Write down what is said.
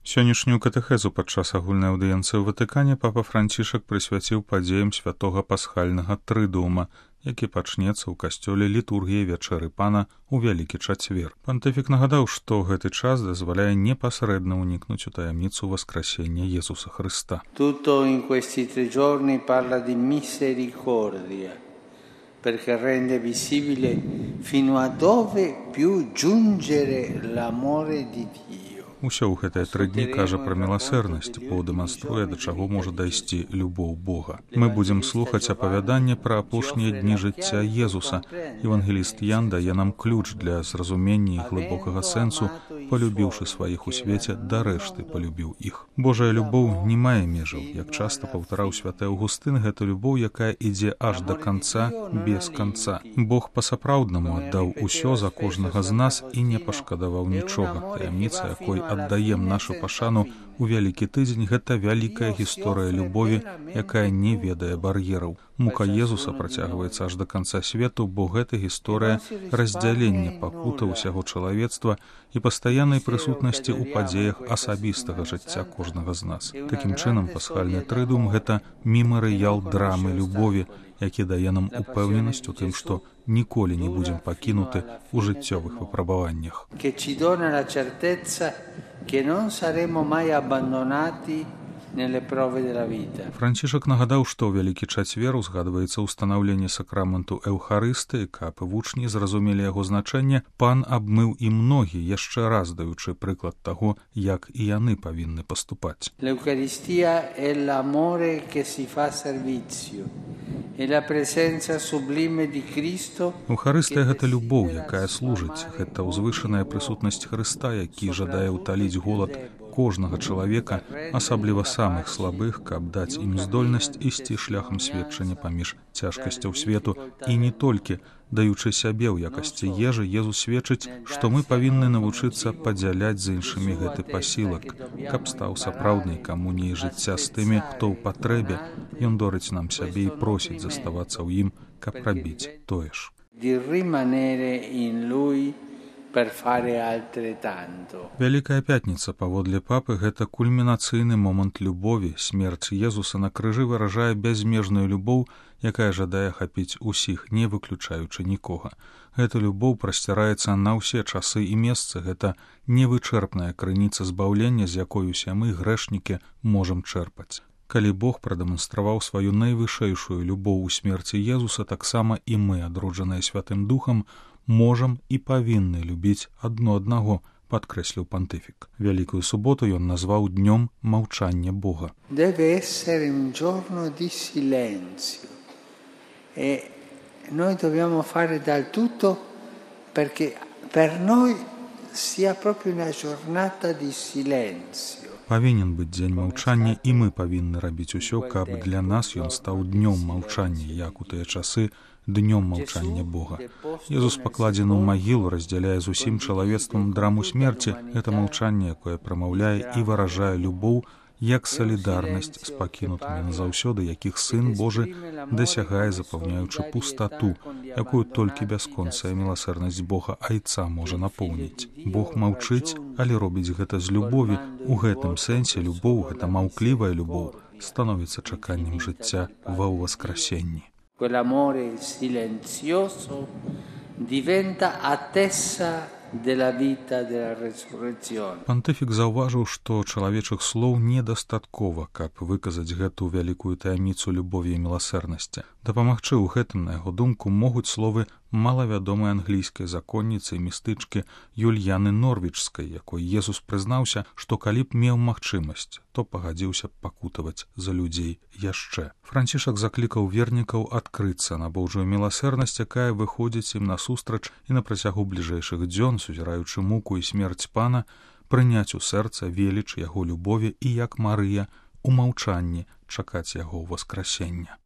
Сённяшнюю катэхезу падчас агульнай аўдыенцыі ў Ватыкане папа Францішак прысвяціў падзеям святога пасхальнага трыдуума, які пачнецца ў касцёле літургіі вячэры пана ў Вялікі чацвер. Пантыфік нагадаў, што гэты час дазваляе непасрэдна ўнікнуць у таямніцу воскресення Jesуsa Христа. Tutto in questi 3 giorni parla di misericordia, perché rende visibile fino a dove più giungere l'amore di Dio. Усё ў гэтыя 3 дні кажа пра міласэрнасць, бо дэманструе, да чаго можа дайсці любоў Бога. Мы будзем слухаць апавяданне пра апошнія дні жыцця Езуса. Евангеліст Ян дае нам ключ для зразумення і глыбокага сэнсу, полюбіўшы сваіх у свеце, да рэшты полюбіў іх. Божая любоў не мае межаў. Як часта паўтараў святы Аўгустын, гэта любоў, якая ідзе аж да канца, без канца. Бог па-сапраўднаму аддаў усё за кожнага з нас і не пашкадаваў нічога. Таямніца, якой аддаем нашу пашану у Вялікі тыдзень, гэта вялікая гісторыя любові, якая не ведае бар'ераў. Мука Езуса працягваецца аж да канца свету, бо гэта гісторыя раздзялення пакуты ўсяго чалавецтва і пастаяннай прысутнасці ў падзеях асабістага жыцця кожнага з нас. Такім чынам, пасхальны трыдуум — гэта мемарыял драмы любові, які дае нам упэўненасць у тым, што ніколі не будзем пакінуты ў жыццёвых выпрабаваннях. Францішак нагадаў, што ў Вялікі чацвер узгадваецца ўстанаўленне сакраменту Эўхарыстыі, каб вучні зразумелі яго значэнне, пан абмыў ім ногі, яшчэ раз даючы прыклад таго, як і яны павінны паступаць. L'Eucaristia è l'amore che si fa servizio. Эўхарыстыя — гэта любоў, якая служыць. Гэта ўзвышаная прысутнасць Хрыста, які жадае ўталіць голад кожнага чалавека, асабліва самых слабых, каб даць ім здольнасць ісці шляхам сведчання паміж цяжкасцяў свету. І не толькі, даючы сябе ў якасці ежы, Езус сведчыць, што мы павінны навучыцца падзяляць з іншымі гэты пасілак, каб стаў сапраўднай камуніяй жыцця з тымі, хто ў патрэбе. Ён дорыць нам сябе і просіць заставацца ў ім, каб рабіць тое ж. Вялікая пятніца, паводле папы, гэта кульмінацыйны момант любові. Смерць Езуса на крыжы выражае бязмежную любоў, якая жадае хапіць усіх, не выключаючы нікога. Гэта любоў прасціраецца на ўсе часы і месцы. Гэта невычэрпная крыніца збаўлення, з якой усе мы, грэшнікі, можам чэрпаць. Калі Бог прадэманстраваў сваю найвышэйшую любоў у смерці Езуса, таксама і мы, адроджаныя Святым Духам, можам і павінны любіць адно аднаго, падкрэсліў пантыфік. Вялікую суботу ён назваў днём маўчання Бога. Deve essere un giorno di silenzio e noi dobbiamo fare dal tutto perché per noi sia proprio una giornata di silenzio. Павінен быць дзень маўчання, і мы павінны рабіць усё, каб для нас ён стаў днём маўчання, як у тыя часы днём маўчання Бога. Езус пакладзены ў магілу, раздзяляе з усім чалавецтвам драму смерці. Гэта маўчанне, якое прамаўляе і выражае любоў, як салідарнасць з пакінутымі назаўсёды, якіх Сын Божы дасягае, запаўняючы пустату, якую толькі бясконцая міласэрнасць Бога Айца можа напоўніць. Бог маўчыць, але робіць гэта з любові. У гэтым сэнсе любоў, гэта маўклівая любоў, становіцца чаканнем жыцця ва ўваскрасенні. Quell'amore silenzioso diventa attesa della vita della resurrezione. Пантыфік заўважыў, што чалавечых слоў недастаткова, каб выказаць гэту вялікую таямніцу любові і міласэрнасці. Дапамагчы ў гэтым, на яго думку, могуць словы малавядомай англійскай законніцы і містычкі Юльяны Норвічскай, якой Езус прызнаўся, што калі б меў магчымасць, то пагадзіўся б пакутаваць за людзей яшчэ. Францішак заклікаў вернікаў адкрыцца на Божую міласэрнасць, якая выходзіць ім насустрач, і на працягу бліжэйшых дзён, сузіраючы муку і смерць пана, прыняць у сэрца веліч яго любові і, як Марыя, у маўчанні чакаць яго ўваскрасення.